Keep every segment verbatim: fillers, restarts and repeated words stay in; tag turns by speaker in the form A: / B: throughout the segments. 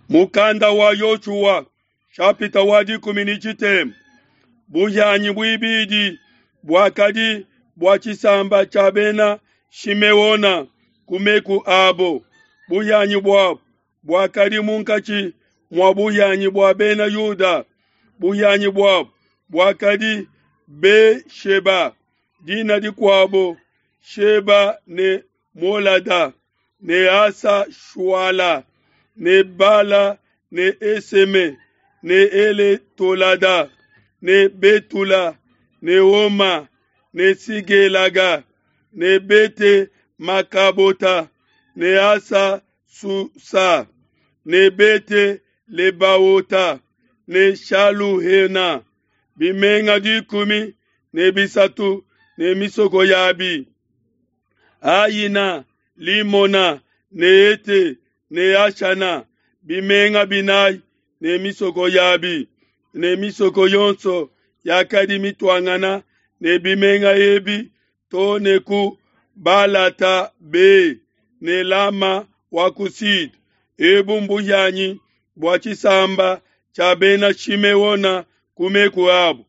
A: Mukanda wa Yoshua shapita wa dikumi ne tshitema buhianyi buibidi buakadi bua tshisamba tshia bena Shimeona ku meku abo. Buhianyi buabo buakadi munkatshi mua buhianyi bua bena Yuda. Buhianyi buabo buakadi Be-sheba, dina dikuabo Sheba ne Molada ne Asa-shuala ne Bala ne Eseme ne Eletolada ne Betula ne Oma ne Sigelaga ne Bete-Makabota ne Asa-susa ne Bete-Lebaota ne Shaluhena, bimenga dikumi ne bisatu ne misoko yabi. Ayina, Limona ne Ete ne Ashana, bimenga binayi ne misoko yabi, ne misoko yonso yakadi mituangana ne bimenga ebi to ne ku Balata Be ne Lama wa ku Sud. Ebu mbuhianyi bua tshisamba tshia bena Shimeona ku meku abo.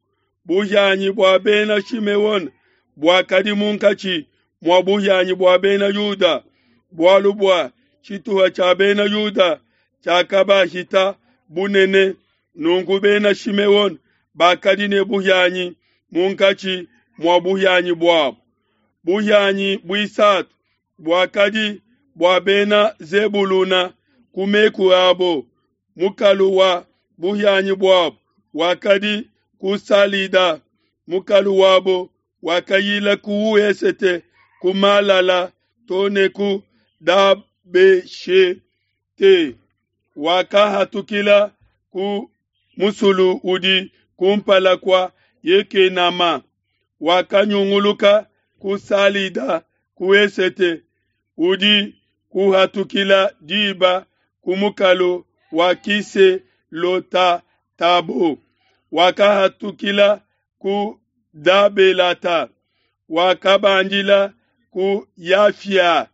A: Buhianyi bua bena Shimeona buakadi munkatshi mua buhianyi bua bena Yuda, bualu bua tshituha tshia bena Yuda tshiakabahita bunene. Nunku bena Shimeona bakadi ne buhianyi munkatshi mua buhianyi buabo. Buhianyi buisatu buakadi bua bena Zebuluna ku meku abo. Mukalu wa buhianyi buabo wakadi ku Salida. Mukalu wabo wakayila ku wesete ku Malala to ne ku Dabeshete, wakahatukila ku musulu udi kumpala kua Yekenama, wakanyunguluka ku Salida ku esete udi kuhatukila diba ku mukalu wa Kiselota-Tabo, wakahatukila ku Dabelata, wakabandila ku Yafia,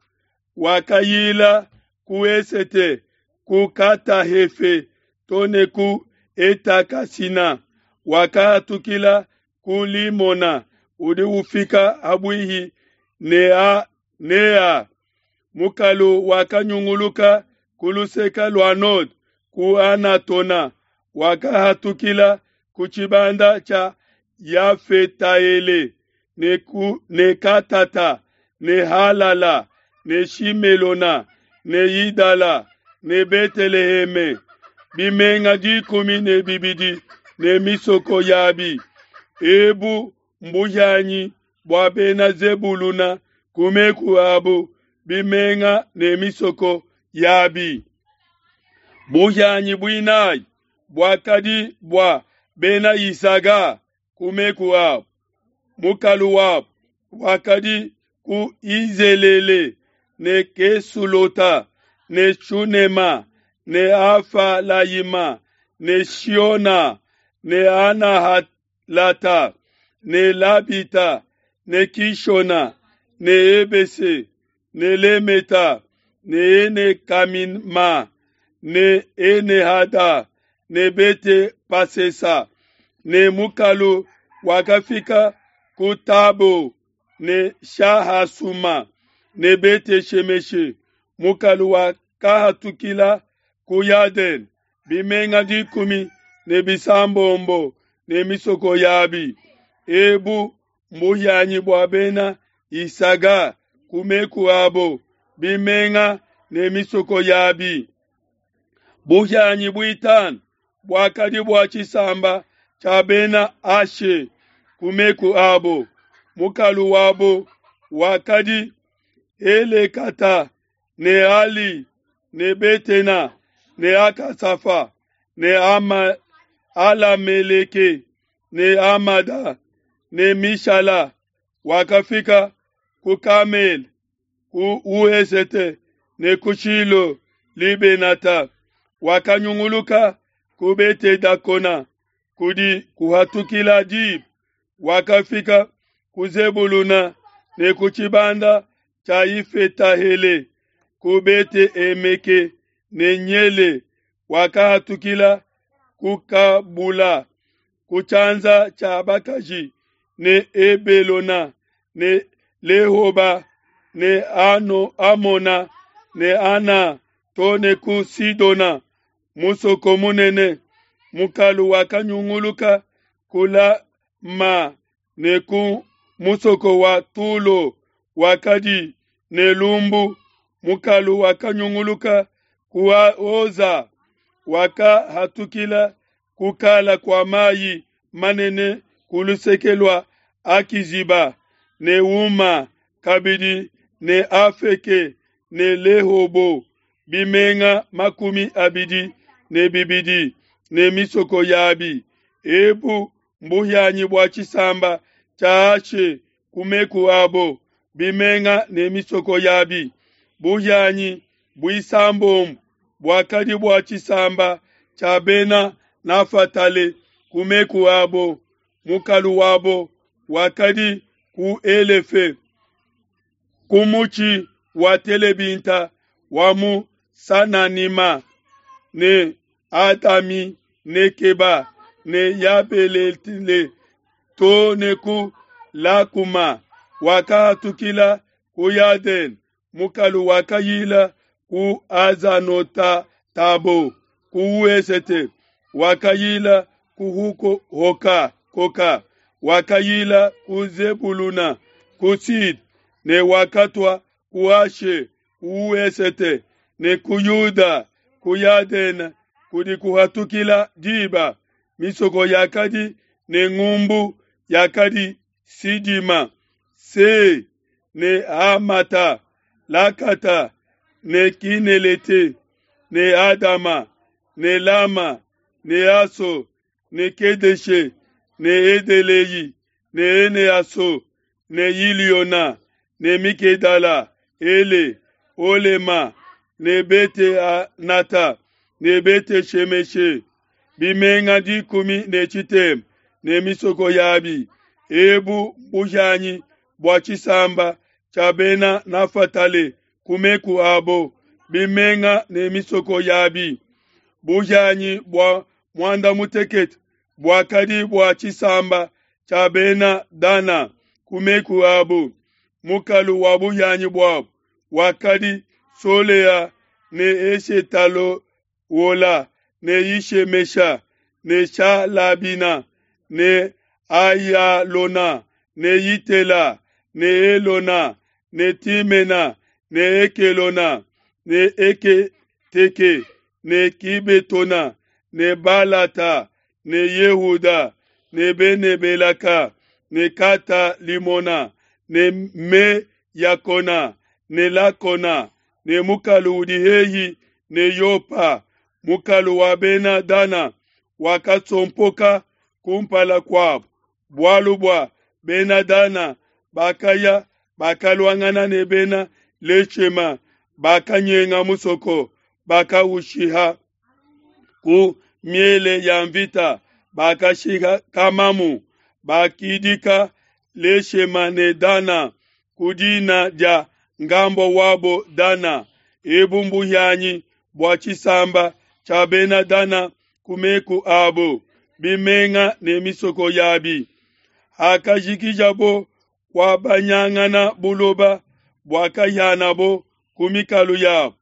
A: wakayila ku esete ku Katahefe to ne ku Etakasina, wakahatukila ku Limona udi ufika habuihi ne Nea. Mukalu wakanyunguluka ku luseke lua node ku Anatona, wakahatukila ku tshibanda tshia Yafetaele ne, ku, ne Katata ne Halala ne Shimelona ne Yidala ne Beteleheme, bimenga dikumi ne bibidi ne misoko yabi. Ebu mbuhianyi bua bena Zebuluna ku meku abo, bimenga ne misoko yabi. Buhianyi buinayi buakadi bua bena Isaga ku meku abo. Mukalu wabo wakadi ku Izelele ne Kesulota ne Shunema ne Afalayima ne Shiona ne Anahalata ne Labita ne Kishona ne Ebese ne Lemeta ne Enekamima ne Enehada ne Bete Pasesa ne mukalu wakafika ku Tabo ne Shahasuma ne Bete Shemeshe. Mukalu wakahatukila ku Yadene, bimenga dikumi ne bisambombo ne misoko yabi. Ebu mbuhianyi bua bena Isaga ku meku abo, bimenga ne misoko yabi. Buhianyi buitanu buakadi bua tshisamba tshia bena Ashe ku meku abo. Mukalu wabo wakadi Helekata ne Ali ne Betena ne Akasafa ne Ama, Alameleke ne Amada ne Mishala, wakafika ku Kamele ku Uesete ne ku Shilo Libenata, wakanyunguluka ku Bete-Dakona kudi kuhatukila diba, wakafika ku Zebuluna ne ku tshibanda tshia Ifetahele, ku Bete-Emeke ne Nyele Wakahatukila ku Kabula ku tshianza tshia bakaji ne Ebelona ne Lehoba ne Ano, Amona ne Ana to ne ku Sidona, musoko munene. Mukalu wakanyunguluka ku Lama ne ku musoko wa Tulo wakadi ne lumbu. Mukalu wakanyunguluka ku Oza, wakahatukila ku kala kua mai manene ku luseke lua Akiziba ne Uma kabidi ne Afeke ne Lehobo, bimenga makumi abidi ne bibidi ne misoko yabi. Ebu mbuhianyi bua tshisamba tshia Ashe ku meku abo, bimenga ne misoko yabi. Buhianyi buisambombo buakadi bua tshisamba tshia Bena Nafatale ku meku abo. Mukalu wabo wakadi ku Elefe, ku mutshi wa telebinta wa mu Sananima, ne Adami Nekeba ne Yabelele to ne ku Lakuma. Wakahatukila ku Yadene. Mukalu wakayila ku Azanota-Tabo ku wesete, wakayila ku Huko Hoka Koka, wakayila ku Zebuluna ku Sid, ne wakatua ku Ashe ku wesete, ne ku Yuda ku Yadene kudi kuhatukila diba. Misoko yakadi ne ngumbu yakadi Sidima, Se ne Hamata, Lakata ne Kinelete ne Adama ne Lama ne Aso ne Kedeshe ne Edelei ne Eneaso ne Iliona ne Mikedala Ele Olema ne Bete Anata ne Bete Shemeshe. Bimenga dikumi ne tshitema ne misoko yabi. Ebu mbuhianyi bua tshisamba tshia Bena Nafatale ku meku abo, bimenga ne misoko yabi. Buhianyi bua muanda mutekete buakadi bua tshisamba tshia Bena Dana ku meku abo. Mukalu wa buhianyi buabo wakadi Solea ne Eshetalowola ne Yishemesha ne Shalabina ne Ayalona ne Yitela ne Elona ne Timena ne Ekelona ne Eketeke ne Kibetona ne Balata ne Yehuda ne Bene-Belaka ne Kata Limona ne Me Yakona ne Lakona ne mukalu udi hehi ne Yopa. Mukalu wa Bena Dana wakasompoka kumpala kuabo, bualu bua Bena Dana bakaya bakaluangana ne Bena Leshema, bakanyenga musoko, bakaushiha ku miele ya mvita, bakashiha kamamu, bakidika Leshema ne Dana ku dina dia ngambo wabo Dana. Ebu mbuhianyi bua tshisamba tshia Bena Dana ku meku abo, bimenga ne misoko yabi. Hakajikijabo kuabanyangana buloba buakahianabo ku mikalu yabo,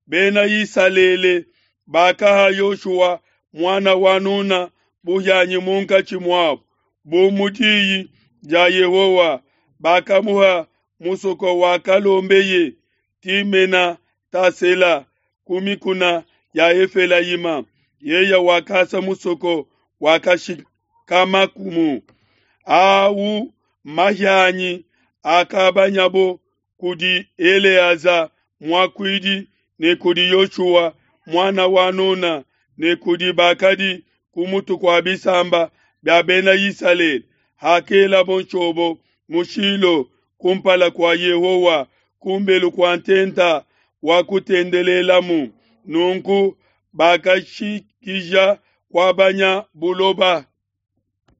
A: Bena Isalele bakaha Yoshua muana wa Nuna buhianyi munkatshi muabo, bu mu diyi dia Yehowa. Bakamuha musoko wakalombeye, Timena Tasela, ku mikuna ya Efelayima. Yeye wakasa musoko wakashikamakumu. Au mahianyi akabanyabo kudi Eleaza muakuidi ne kudi Yoshua muana wa Nuna ne kudi bakadi ku mutu kua bisamba bia Bena Isalele, hakelabo nshobo mu Shilo kumpala kua Yehowa kumbelu kua ntenta wa kutendelelamu. Nunku bakashikija kuabanya buloba.